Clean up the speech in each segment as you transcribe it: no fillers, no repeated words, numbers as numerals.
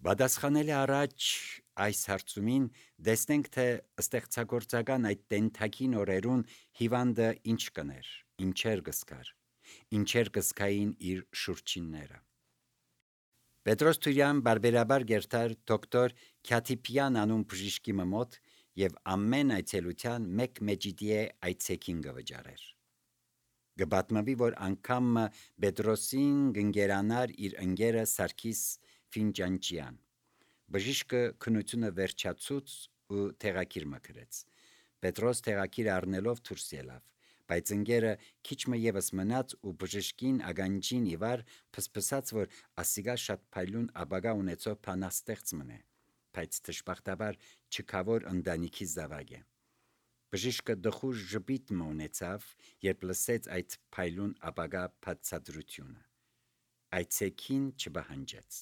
Պատասխանելի առաջ այս հարցումին տեսնենք, թե ստեղծագործական այդ տենթակին օրերուն հիվանդը ինչ կներ, ինչեր կսկար, ինչեր կսկային իր շուրջինները։ Պետրոս Թուրյան բարբերաբար գերտար դոկտոր Քյաթիպյան անուն բժիշկի մոտ եւ ամեն այցելության մեկ մեջիդիե այցեքին գվճարեր։ Գբատմվի, որ անգամ Պետրոսին գնգերանար իր ընկերը Սարգիս Ֆինջանչյան։ Բժիշկը քնությունը վերջացուց ու տեղակիր մկրեց։ Պետրոս տեղակիր առնելով դուրս ելավ, բայց ընկերը քիչմը եւս մնաց ու բժշկին ագանջին իվար փսփսած, որ ասիգա շատ փայլուն աբագա ունեցող փանաստեղծ մնե, բայց դժբախտաբար չքավոր ընտանիքի զավակ է։ Բժիշկը դխուժ ժպիտ ունեցավ, երբ լսեց այդ փայլուն աբագա բացատրությունը։ Այցեքին չբահանջեց։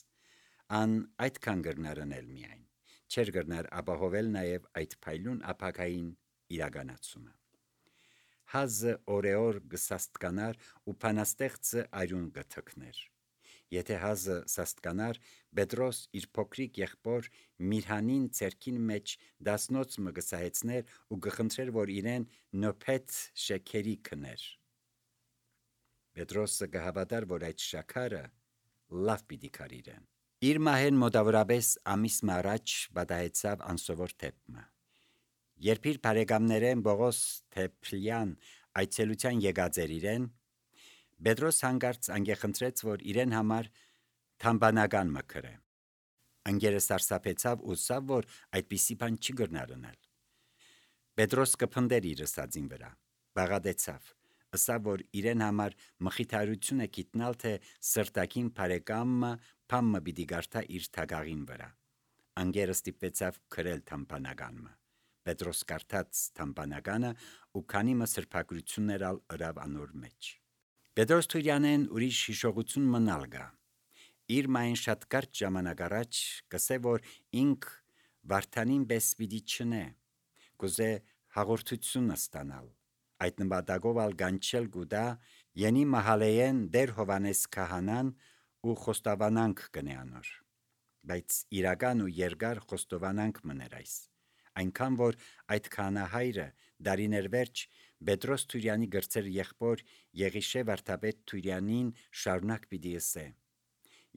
Ան այդքան գրնարնել միայն, չեր գրնար ապահովել նաև այդ փայլուն աբագային իրականացումը։ Հազը օրեոր գսաստկանար ու փանաստեղծը այրուն գթքներ։ Եթե հազը սաստկանար, Պետրոս իր փոքրիկ եղբոր Միրհանին ցերքին մեջ դասնոց մը գսահեցներ ու գխնդրեր, որ իրեն նոփետ շեքերի քներ։ Պետրոսը գհավատար, որ այդ շաքարը լավ պիտի կարիրեն։ Իր մահեն մոտավորապես ամիս առաջ պատահեցավ անսովոր թեփը։ Երբ իր բարեկամներեն Բողոս Թեփլյան այցելության եկած էր իրեն, Պետրոս հանգարց անգեխնդրեց, որ իրեն համար թամբանական մկրե։ Ընկերը սարսափեցավ ու սավ, որ այդպիսի բան չի գրնարնել։ Պետրոս կփնդեր իր ըսածին վրա, բաղադեցավ, ըսավ, որ իրեն համար մխիթարություն է գիտնալ, թե սրտակին բարեկամը փամը պիտի գարտա իր թագաղին վրա։ Ընկերը ստիպվեցավ քրել թամբանականը։ Պետրոս կարդաց թամբանականը ու քանի սրբագրություններ ալ ըրավ անոր մեջ։ Պետրոս Թուրյանեն ուրիշ հիշողություն մնալ գա։ Իր մայն շատ կարճ ժամանակ առաջ կսե, որ ինք Վարդանին պես պիտի չնե, կուզե հաղորդությունը ստանալ։ Այդ նպատակով ալ գանչել գուտա յենի մահալեեն դեր Հովանես քահանան ու խոստովանանք կնե անոր։ Բայց իրական ու երկար խոստովանանք մներ այս, այնքան որ այդ քահանահայրը դարիներ վերջ Պետրոս Թուրյանի գրծեր եղբոր Եղիշե վարդապետ Թուրյանին շարունակ պիտի ըսե։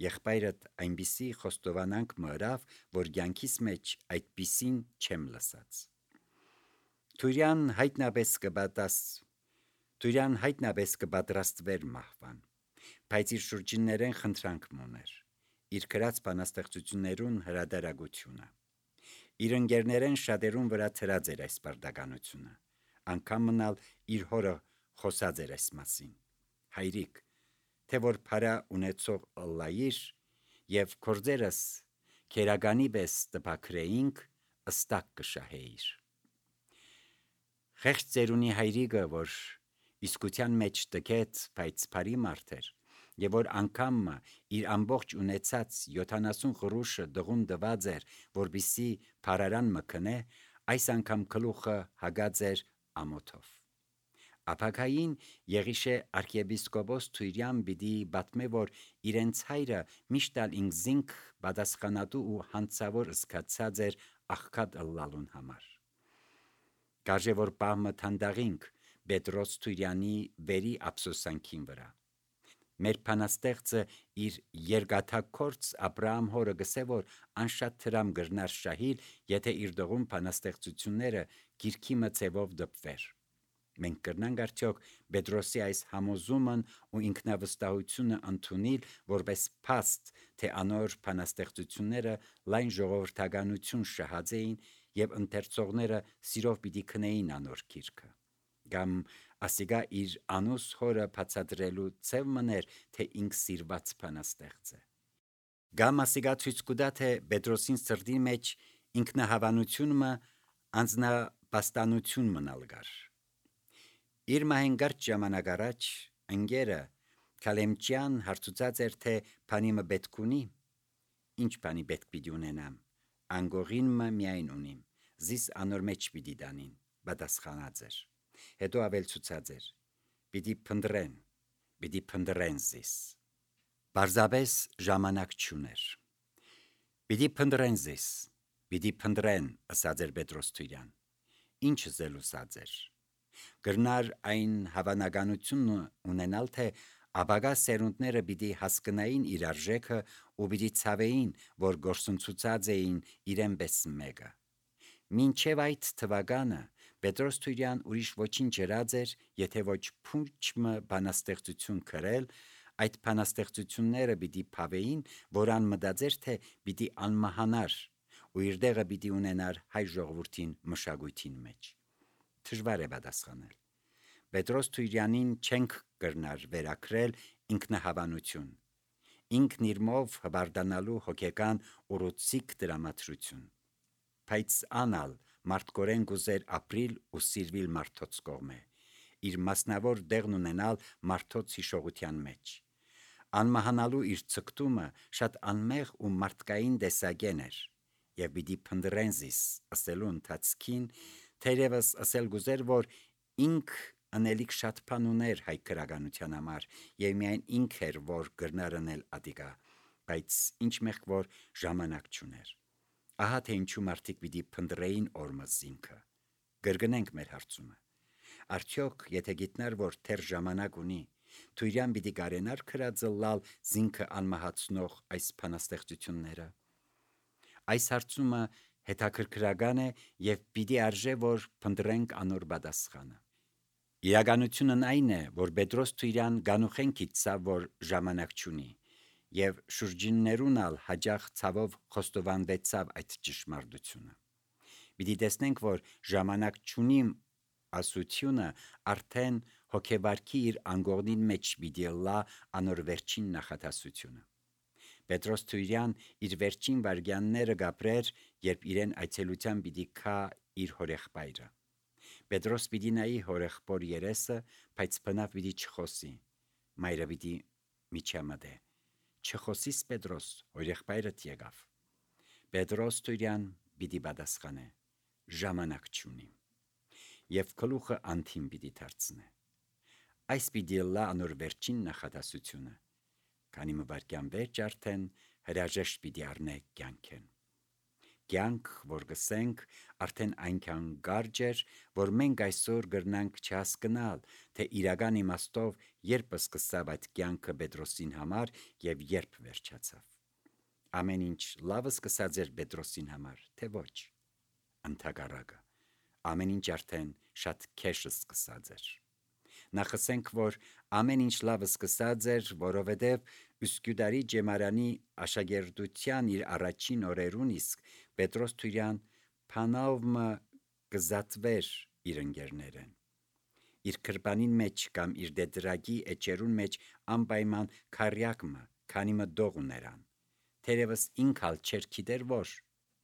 Եղբայրդ այնպիսի խոստովանանք մըրավ, որ կյանքիս մեջ այդպիսին չեմ լսած։ Թուրյան հայտնաբես կպատրաստվեր մահվան, բայց իր շուրջիններեն խնդրանք մուներ, իր գրած բանաստեղծություններուն հրադարագությունը։ Իր ընկերներեն շատերուն վրա թրած էր այս պարտականությունը, անգամ մնալ իր հորը խոսած էր այս մասին։ Հայրիկ, թե որ փարա ունեցող ըլլայիր եւ կորձերս քերագանի պես տպակրեինք, ըստակ կշահեիր։ Խեղճ ծերունի հայրիկը, որ իսկության մեջ տկետ, բայց բարի մարդ էր, եւ որ անգամ իր ամբողջ ունեցած 70 գրուշը դղուն դված էր, որբիսի փարարան մքնե, այս անգամ գլուխը հագած էր ամոթով։ Ափակային Եղիշե arczepiskopos Թուրյան պիտի պատմե, որ իրենց հայրը միշտ ալ ինքզինք պատասխանատու ու հանցավոր զգացած էր աղքատ ըլլալուն համար։ Կարժե որ պահմը թանդաղինք Պետրոս Թուրյանի վերի ափսոսանքին վրա։ Մեր փանաստեղծը իր երկաթակորց Աբրահամ հորը գսե, որ անշատ թրամ գրնար շահիլ, եթե իր դողում փանաստեղծությունները գիրքի մծևով դպվեր։ Մենք կրնանք արդյոք Պետրոսի այս համոզումն ու ինքնավստահությունը ընդունել որպես փաստ, թե անոր փանաստեղծությունները լայն ժողովրդականություն շահած էին եւ ընթերցողները սիրով պիտի քնեին անոր գիրքը։ Կամ ասիգա իր անուս հորը բացատրելու ցև մներ, թե ինք սիրված փանաստեղծ է։ Կամ ասիգա ցույց կուտա, թե Պետրոսին սրտի մեջ ինքնահավանությունը անձնապաստանություն մնալ գար։ Իր մահենգարճ ժամանակ առաջ ընկերը Քալեմչյան հարցուցած էր, թե փանիմը պետք ունի։ Ինչ բանի պետք պիտի ունենամ, անգողինը միայն ունիմ, զիս անոր մեջ պիտի դանին, պատասխանած էր։ Հետո ավելցուցած էր. պիտի փնդրեն զիս։ Պարզապես ժամանակ չուներ։ Պիտի փնտրեն զիս, պիտի փնտրեն, ըսած էր Պետրոս Թույրյան։ Ինչ զելուսած էր։ Գրնար այն հավանականությունը ունենալ, թե ապագա սերունդները պիտի հասկնային իր արժեքը ու պիտի ցավեին, որ գործընծուցած էին իրեն պես մեկը։ Մինչև այդ թվականը Պետրոս Թույրյան ուրիշ ոչինչ երած էր, եթե ոչ փունջը բանաստեղծություն գրել, այդ բանաստեղծությունները պիտի փավեին, որան մտածեր, թե պիտի անմահանար ու իր դեղը պիտի ունենար հայ ժողովրդին մշակույթին մեջ։ Դժվար է պատասխանել։ Պետրոս Թույրյանին չենք կրնար վերակրել ինքնահավանություն, ինքն իրմով հբարդանալու հոգեկան ուռուցիկ դրամատրություն, բայց անալ մարդկորեն գուզեր ապրիլ ու սիրվիլ մարդոց կողմե, իր մասնավոր դեղն ունենալ մարդոց հիշողության մեջ։ Անմահանալու իր ցկտումը շատ անմեղ ու մարդկային դեսագեն էր, եւ պիտի փնտրեն զիս ասելու ընթացքին, թերևս ասել գուզեր, որ ինք անելիք շատ բան ուներ հայ քրագանության համար, եւ միայն ինք էր, որ գրնար անել ադիգա, բայց ինչ մեղք որ ժամանակ չուներ։ Ահա թե ինչու մարդիկ պիտի փնտրեին օրմս ինքը։ Գրգնենք մեր հարցումը։ Արդյոք եթե գիտնար, որ թեր ժամանակ ունի, Թույրյան պիտի կարենար քրածը լալ զինքը անմահացնող այս բանաստեղծությունները։ Այս հարցումը հետաքրքրական է եւ պիտի արժե, որ փնտրենք անոր պատասխանը։ Իրականությունն այն է, որ Պետրոս Թույրյան գանուխեն գիտցավ, որ ժամանակ չունի, եւ շուրջիններուն ալ հաջող ցավով խոստովանվեցավ այդ ճշմարտությունը։ Պիտի տեսնենք, որ ժամանակ չունիմ ասությունը արդեն հոգեվարքի իր անգողնին մեջ պիտի լա անոր վերջին նախատասությունը։ Պետրոս Թույրյան իր վերջին վարգյանները գապրեր, երբ իրեն այցելության պիտի քա իր հորեղբայրը։ Պետրոս պիտի նայի հորեղբոր երեսը, բայց բնավ պիտի չխոսի։ Մայրը պիտի միջամտե։ Չխոսիս Պետրոս, հորեղբայրդ եկավ։ Պետրոս Թույրյան պիտի պատասխանե. ժամանակ չունիմ։ Եվ գլուխը անթիմ պիտի դարձնե։ Այս պիտի լա անոր վերջին նախատասությունը, քանի մվարկյան վերջ արդեն հրաժեշտ պիտի առնե կյանքեն։ Կյանք, որ գսենք, արդեն այնքան կարճ էր, որ մենք այսօր գրնանք չհասկնալ, թե իրական իմաստով երբ սկսավ այդ կյանքը Պետրոսին համար եւ երբ վերջացավ։ Ամեն ինչ լավ սկսած էր Պետրոսին համար, թե ոչ։ Ընդհակառակը, ամեն ինչ արդեն շատ քեշ սկսած էր։ Նախասենք, որ ամեն ինչ լավ սկսած էր, որովհետև Üsküdarի ջեմարանի աշակերտության իր առաջին օրերուն իսկ Պետրոս Թույրյան փանավմը կզատվեր իր ընկերներեն։ Իր քրբանին մեջ կամ իր դեդրագի էջերուն մեջ անպայման քարյակմը, քանի մը դող ուներան։ Թերևս ինքալ չեր գիտեր որ,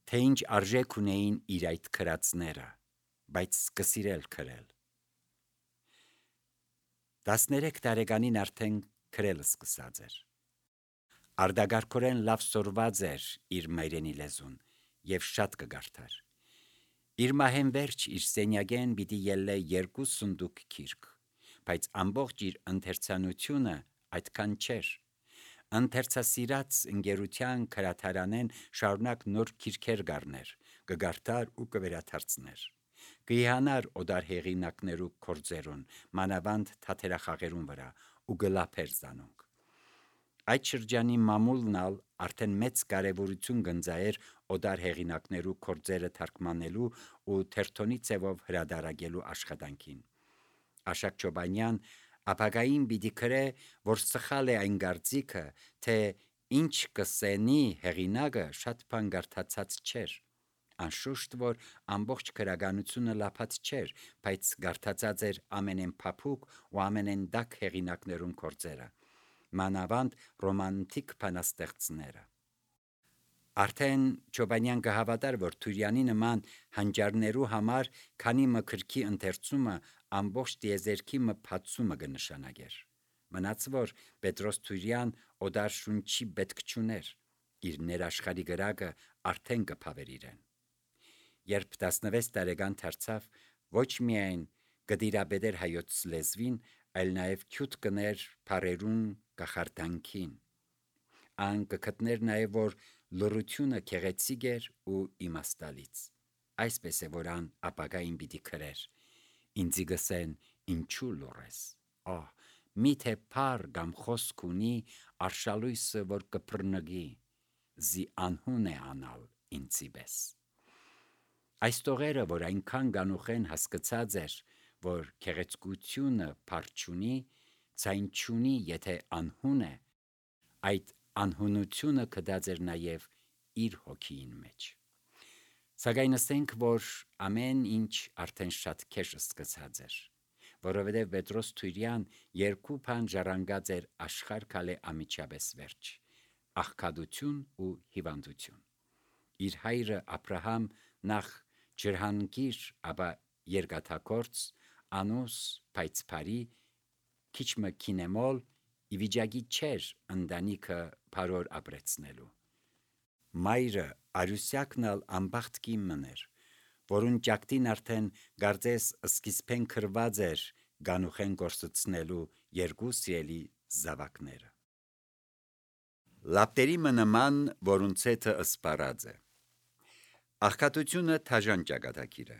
թե ինչ արժեք ունեին իր այդ քրածները, բայց կսիրել քրել։ 13 տարեկանին արդեն քրել սկսած էր։ Արդագարգորեն լավ սորված էր իր մայրենի լեզուն եւ շատ կգարթար։ Իր մահեն վերջ իր սենյակեն պիտի ելլե 2 սունդուկ քիրք, բայց ամբողջ իր ընթերցանությունը այդքան չէր։ Ընթերցասիրած ընկերության քրաթարանեն շարունակ նոր քիրքեր գարներ, կգարթար ու կվերաթարցներ։ Կիհանար օդար հեղինակներու կորձերուն, մանավանդ թաթերախաղերուն վրա ու գլափեր զանոնք։ Այդ շրջանի մամուլն ալ արդեն մեծ կարևորություն գնձայր օդար հեղինակներու կորձերը թարգմանելու ու թերթոնի ձևով հրադարագելու աշխատանքին։ Աշակ Չոբանյան ապագային պիտի գրե, որ սխալ է այն գարծիքը, թե ինչ կսենի հեղինակը շատ բան գարթացած չէր։ Անշուշտ, որ ամբողջ քրագանությունը լափած չէր, բայց գարթացած էր ամենեն փափուկ ու ամենեն դակ հեղինակներուն կորձերը, մանավանդ ռոմանտիկ բանաստեղծները։ Արդեն Չոբանյան կհավատար, որ Թույրյանի նման հանճարներու համար քանի մկրքի ընթերցումը ամբողջ տիեզերքի մփացումը կնշանակեր։ Մնաց որ Պետրոս Թույրյան օդար շունչի պետք չուներ, իր ներաշխարի գրակը արդեն կփավեր իրեն։ Երբ 16 տարեկան դարձավ, ոչ միայն կդիրաբեդեր հայոց լեզվին, այլ նաև քյութ կներ բարերուն կախարդանքին։ Ան կգտներ նաև, որ լռությունը քեղեցիկ էր ու իմաստալից։ Այսպես է, որ ան ապագային պիտի քրեր, ինձի գսեն ինչու լռես, միթե փառ կամ խոսք ունի արշալույսը, որ կփռնգի, զի անհուն է անալ ինձի պես։ Այս տողերը, որ այնքան գանուխեն հասկացած էր, որ քեղեցկությունը փառ չունի, ցայն չունի, եթե անհուն է, այդ անհունությունը կդած էր նաև իր հոգին մեջ։ Սակայն ասենք, որ ամեն ինչ արդեն շատ քեշ սկսած էր, որովհետև Պետրոս Թուրյան երկու բան ժառանգած էր աշխարհ քալե ամիջապես վերջ՝ աղքատություն ու հիվանդություն։ Իր հայրը Աբրահամ նախ ջրհանգիր, ապա երկաթագործ, անուս պայծփարի, քիչմը քինեմոլ, ի վիճակի չէր ընտանիքը բարոր ապրեցնելու։ Մայրը Արուսյակնալ անբախտ կին էր, որուն ճակտին արդեն գարձես սկիզբեն քրված էր գանուխեն գործեցնելու երկու սիրելի զավակները։ Լապտերի մնման, որուն ցեթը ըսպարած է։ Աղքատությունը թաժան ճակատագիր է։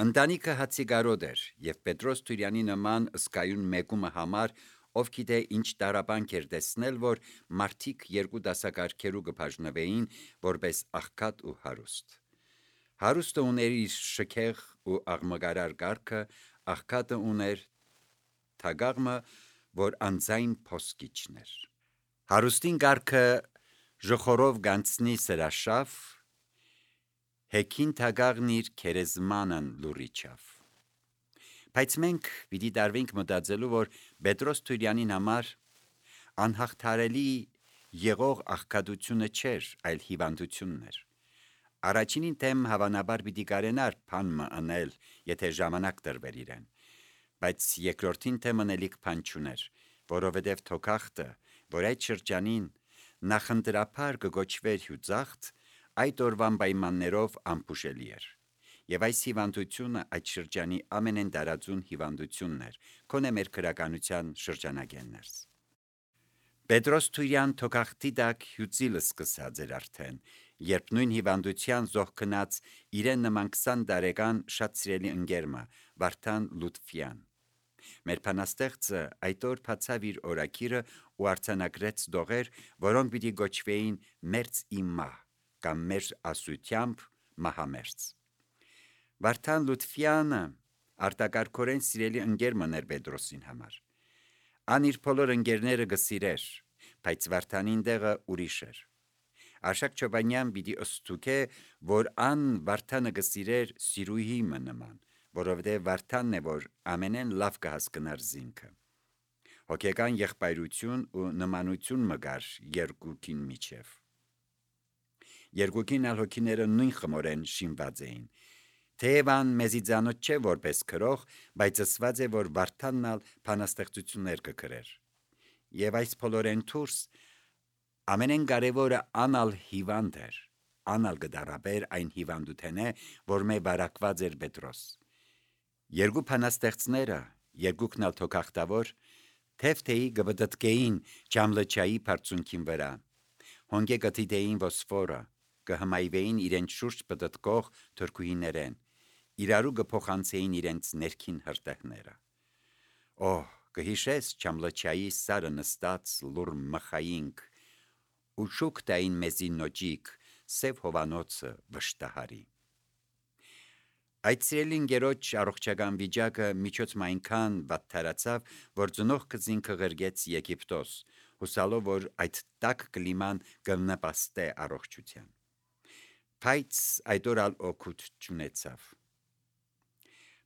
Ընտանիքը հացիգարոտ էր, և Պետրոս Թուրյանի նման ըսկայուն մեկումը համար, ով գիտե ինչ տարապանք էր տեսնել, որ մարդիկ երկու դասակարգերու կբաժնվեին որպես աղքատ ու հարուստ։ Հարուստը ուներ իր շքեղ ու աղմկարար կարգը, աղքատը ուներ թագաղմը, որ անձայն փոսկիչն էր։ Հարուստին կարգը ժխորով գանցնի սրաշավ, հեքին թագաղն իր քերեզմանն լուրիչավ։ Բայց մենք պիտի տարվենք մտածելու, որ Պետրոս Թուրյանին համար անհաղթարելի եղող աղքատությունը չէր, այլ հիվանդությունն էր։ Առաջինին թեմ հավանաբար պիտի կարենար բան մընել, եթե ժամանակ տրվեր իրեն, բայց երկրորդին թեմն էլիք բան չուներ, որովհետև թոքախտը, որ այդ շրջանին նախընտրափար կգոչվեր հյուծախտ, այդ օրվան պայմաններով անփուշելի էր։ Եվ այս հիվանդությունը այդ շրջանի ամենեն տարածուն հիվանդությունն էր, քոնե մեր քրականության շրջանագեններս։ Պետրոս Թուրյան թոքախտի տակ հյուծիլը սկսած էր արդեն, երբ նույն հիվանդության զոհքնած իրեն նման 20 տարեկան շատ սիրելի ընկերմը Վարդան Լուտֆյան։ Մեր բանաստեղծը այդ օր բացավ իր օրակիրը ու արձանագրեց դողեր, որոնք պիտի գոչվեին մերձ իմ մահ կամ մեր ասությամբ մահամերձ։ Վարդան Լուտֆյանը արտակարգորեն սիրելի ընկերմն էր Պետրոսին համար։ Ան իր բոլոր ընկերները գսիրեր, բայց Վարդանին տեղը ուրիշ էր։ Արշակ Չոբանյան պիտի ըստուքե, որ ան Վարդանը գսիրեր սիրուհի նման, որովհետև Վարդանն է, որ ամենեն լավ կհասկնար զինքը։ Հոգեկան եղբայրություն ու նմանություն մգար երկուքին միջև։ Երկուքին ալ հոգիները նույն խմորեն շինված էին։ Թեև ան մեզի ծանոթ չէ որպես քրող, բայց ասված է, որ Վարդանն ալ բանաստեղծություններ կգրեր։ Եվ այս բոլորեն դուրս ամենեն կարևորը անալ հիվանդ էր, անալ գդարաբեր այն հիվանդութենե, որ մե բարակված էր Պետրոս։ Երկու բանաստեղծները, երկուքն ալ թոքախտավոր, թեվթեի գբդտկեին Ջամլչայի բարձունքին վրա, հոնգե կթիդեին ոսֆորը, կհմայվեին իրենց շուրջ պտտկող թրքուհիներեն, իրարու կփոխանցեին իրենց ներքին հրտեհները։ Կհիշես Ջամլչայի սարը նստած լուր մխայինք, ու շուկ տային մեզի նոջիկ, սև հովանոցը վշտահարի։ Այդ սիրելի ընկերոջ առողջական վիճակը միջոցում այնքան վատթարացավ, որ ծնող կզինքը ղրգեց Եգիպտոս, հուսալով, որ այդ տաք կլիման կնպաստե առողջության։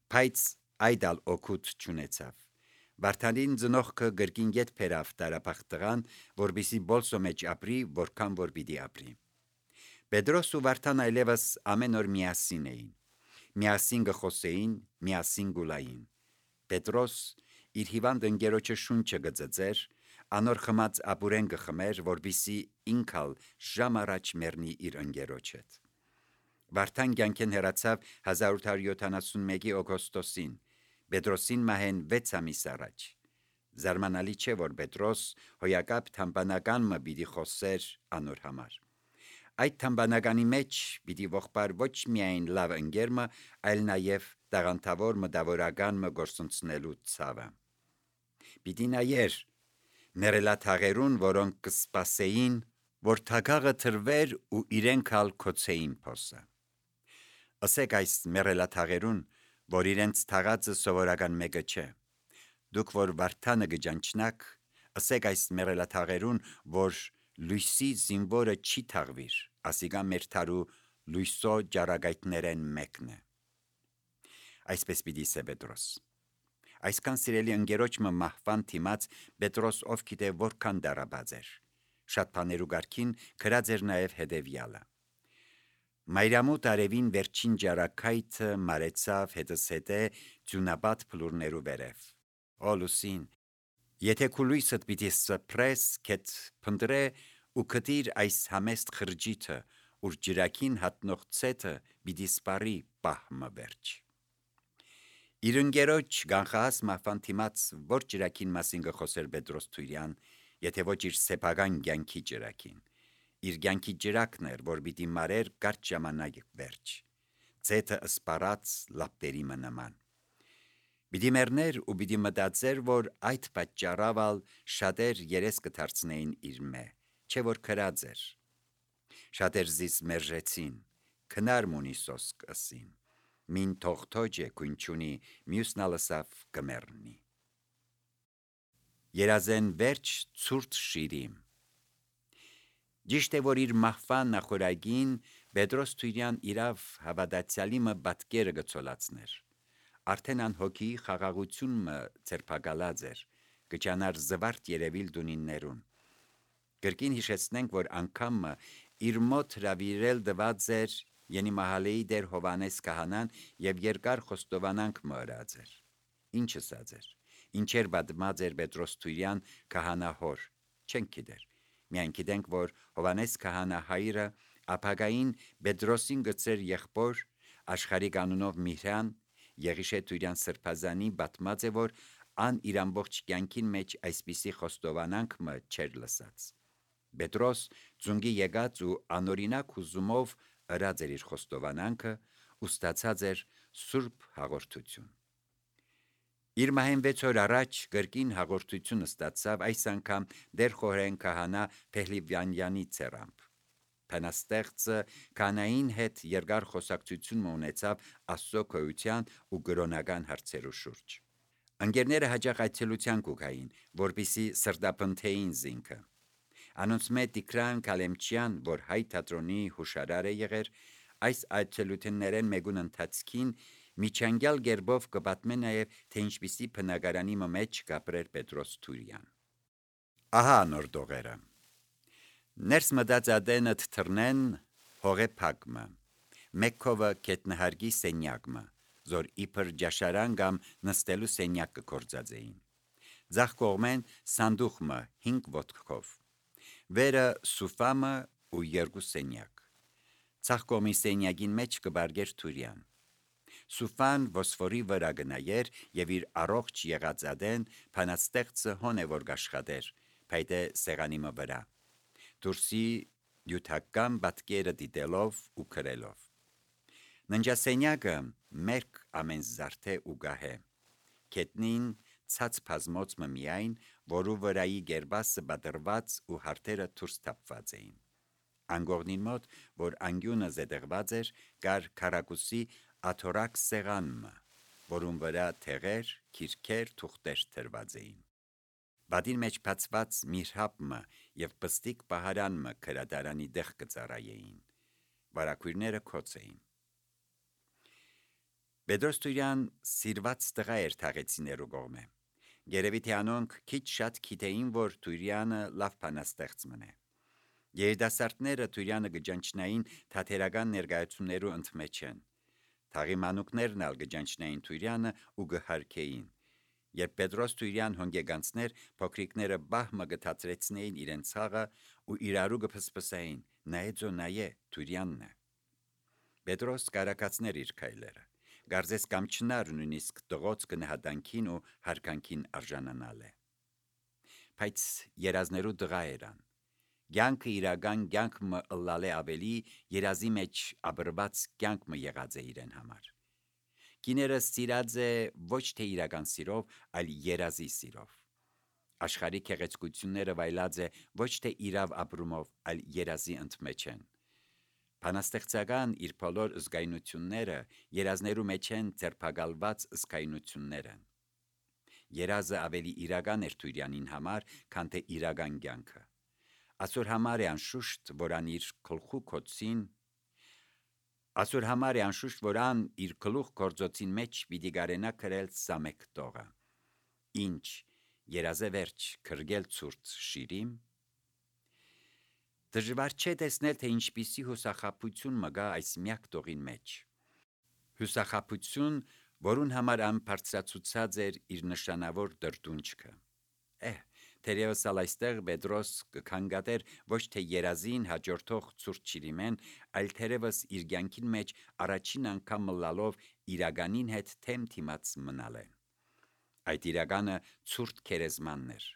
Բայց այդ օր ալ օգուտ չունեցավ։ Վարդանին ծնողքը գրկին ետ փերավ տարապախտղան, որբիսի բոլսո մեջ ապրի, որքան որ պիտի ապրի։ Պետրոս ու Վարդան այլևս ամեն օր միասին էին։ Միասին գխոսեին, միասին գուլային։ Պետրոս իր հիվանդ ընկերոջը շունչը գծծեր, անոր խմած ապուրեն գխմեր, որբիսի ինքալ ժամ առաջ մեռնի իր ընկերոջ հետ։ Վարդան կյանքեն հեռացավ 1871 օգոստոսին, Պետրոսին մահեն 6 ամիս առաջ։ Զարմանալի չէ, որ Պետրոս հոյակապ թամբանական մը պիտի խոսեր անոր համար։ Այդ թմբանականի մեջ պիտի ողբար ոչ միայն լավ ընկերմը, այլ նաև տաղանդավոր մտավորականը գործունեելու ցավը։ Պիտի նայեր մերելաթաղերուն, որոնք կսպասեին, որ թագաղը թրվեր ու իրենք ալ կոչեին փոսը։ Ասեք այս մերելաթաղերուն, որ իրենց թաղածը սովորական մեկը չէ։ Դուք որ վարդանը գճանչնակ, ասեք այս մերելաթաղերուն, որ լույսի զինվորը չի թաղվիր, ասիկա մեր թարու լույսո ջարագայթներեն մեկն է։ Այսպես պիտի սե Պետրոս։ Այսքան սիրելի ընկերոջը մահվան թիմած Պետրոս ով գիտե որքան դարաբաց էր։ Շատ բաներու գարքին գրած էր նաև հետևյալը։ Մայրամուտ արևին վերջին ջարակայթը մարեցավ հետսետե ձյունաբադ փլուրներու վերև։ Օ լուսին, եթե քու լույսդ պիտի սփրես, կետ փնդրե ու կտիր այս համեստ խրջիթը, ուր ջրակին հատնող ցետը պիտի սպարի պահմը վերջ։ Իր ընկերոջ գանխահաս մահվան թիմած որ ջրակին մասին գխոսեր Պետրոս Թուրյան, եթե ոչ իր սեփական կյանքի ջրակին։ Իր կյանքի ջրակն էր, որ պիտի մարեր կարճ ժամանակ վերջ։ Ցետը սպարած լապտերի նման։ Պիտի մեռներ ու պիտի մտածեր, որ այդ պատճառով շատեր երես կդարձնեին իր մե, չէ որ քրած էր։ Շատեր զիս մերժեցին, քնար մունիսոս կսին, մին թողթոջ է կունչունի, մյուսն ալսավ կմեռնի։ Երազեն վերջ ցուրտ շիրիմ։ Ճիշտ է, որ իր մահվան նախորագին Պետրոս Թուրյան իրավ հավատացյալիմը բատկերը գցոլացներ։ Արդեն անհոգի խաղաղությունը ցերպակալած էր, կճանար զվարթ երևիլ դունիններուն։ Կրկին հիշեցնենք, որ անգամը իր մոտ հրավիրել դված էր Յենի Մահալեի դեր Հովանես Քահանան եւ երկար խոստովանանք մըրած էր։ Ինչ ասած էր։ Ինչեր բադմած էր Պետրոս Թուրյան քահանահոր, չենք գիտեր։ Միայն գիտենք, որ Հովանես Քահանա հայրը ապագային Պետրոսին գծեր եղբոր աշխարհիկ անունով Միհրան Եղիշե Թուրյան սրբազանի բադմած է, որ ան իր ամբողջ կյանքին մեջ այսպիսի խոստովանանք մը չեր լսած։ Պետրոս ծունգի եկած ու անօրինակ հուզումով ըրած էր իր խոստովանանքը ու ստացած էր սուրբ հաղորդություն։ Իր մահեն 6 օր առաջ կրկին հաղորդություն ստացավ այս անգամ դեր խորհեն քահանա Փեհլիվանյանի ցերամբ։ Փանաստեղծը կանային հետ երկար խոսակցություն ունեցավ Աստծո քոյության ու գրոնական հարցերու շուրջ։ Ընկերները հաջող այցելության կուքային, որպիսի սրտապնթեին զինքը։ Անոնց մեջ Տիգրան Կալեմչյան, որ հայ թատրոնի հուշարար է եղեր, այս այցելություններեն մեկուն ընթացքին միջանկյալ գերբով կպատմե նաև, թե ինչպիսի բնակարանի մեջ կապրեր Պետրոս Թուրյան։ Ահա նոր դողերը։ Ներս մտած ադենըտ թռնեն հողե փակմը, մեկքովը կետնահարգի սենյակմը, զոր իբր ջաշարան կամ նստելու սենյակ կգործած էին։ Ձախ կողմեն սանդուղմը 5 ոտքով, վերը սուֆամը ու 2 սենյակ։ Ցախ կողմի սենյակին մեջ կբարգեր Թուրյան։ Սուֆան ոսֆորի վրա գնայեր եւ իր առողջ եղածադեն փանաստեղծը հոն է որ գաշխատեր, փայտե սեղանի վրա։ Դուրսի յութական բատկերը դիտելով ու քրելով։ Ննջասենյակը մերկ ամեն զարթե ու գահե։ Կետնին ցած բազմոց միայն, որու վրայի գերբասը բադրված ու հարտերը դուրս թափված էին։ Անգողնին մոտ, որ անգյունը զետեղված էր, կար քարակուսի աթորակ սեղանմը, որում վրա թեղեր, քիրքեր, թուղթեր թրված էին։ Բադին մեջ բացված միրհապը եւ պստիկ պահարանը քրադարանի դեղ կծառայեին։ Վարակույրները քոց էին։ Պետրոս Թուրյան սիրված տղա էր թաղեցիներու կողմէ։ Երևի թե անոնք քիչ շատ գիտեին, որ Թուրյանը լավ բանաստեղծ մնե։ Երիտասարդները Թուրյանը գճանչնային թատերական ներկայացումներու ընդմեջ են։ Թաղի մանուկներն ալ գճանչնային Թուրյանը ու գհարկեին։ Երբ Պետրոս Թուրյան հոնգեգանցներ փոքրիկները բահմը գթացրեցնեին իրենց ցաղը ու իրարու գփսփսային, նայեցո նայե Թուրյանն է։ Պետրոս կարակացներ իր քայլերը։ Գարձես կամ չնար նույնիսկ տղոց կնահատանքին ու հարկանքին արժանանալ է։ Բայց երազներու դղա երան։ Կյանքը իրական կյանքը ըլլալ է ավելի երազի մեջ աբրված կյանքը եղած է իրեն համար։ Կիները սիրած է ոչ թե իրական սիրով, այլ երազի սիրով։ Աշխարհի գեղեցկությունները վայելած է ոչ թե իրավ ապրումով, այլ երազի ընդմեջ են։ Բանաստեղծական իր բոլոր զգայունությունները երազներու մեջ են ձերբակալված զգայունություններ են։ Երազը ավելի իրական էր Թուրյանին համար, քան թե իրական կյանքը։ Այսօր համար է անշուշտ, որ ան իր գլխու կոցին Այսօր համար է անշուշտ, որ ան իր գլուխ գործոցին մեջ պիտի գարենա գրել սամեկ տողը։ Ինչ երազե վերջ քրգել ցուրտ շիրիմ։ Դժվար չէ տեսնել, թե ինչպիսի հուսախաբություն մգա այս միակ տողին մեջ։ Հուսախաբություն, որուն համար ան բարձրացուցած էր իր նշանավոր դրդունչքը։ Թերևս այստեղ Պետրոս կքանգատեր ոչ թե երազին հաջորդող ցուրտ շիրիմեն, այլ թերևս իր կյանքին մեջ առաջին անգամ մլալով իրականին հետ թեմ թիմած մնալ է։ Այդ իրականը ցուրտ քերեզմանն էր։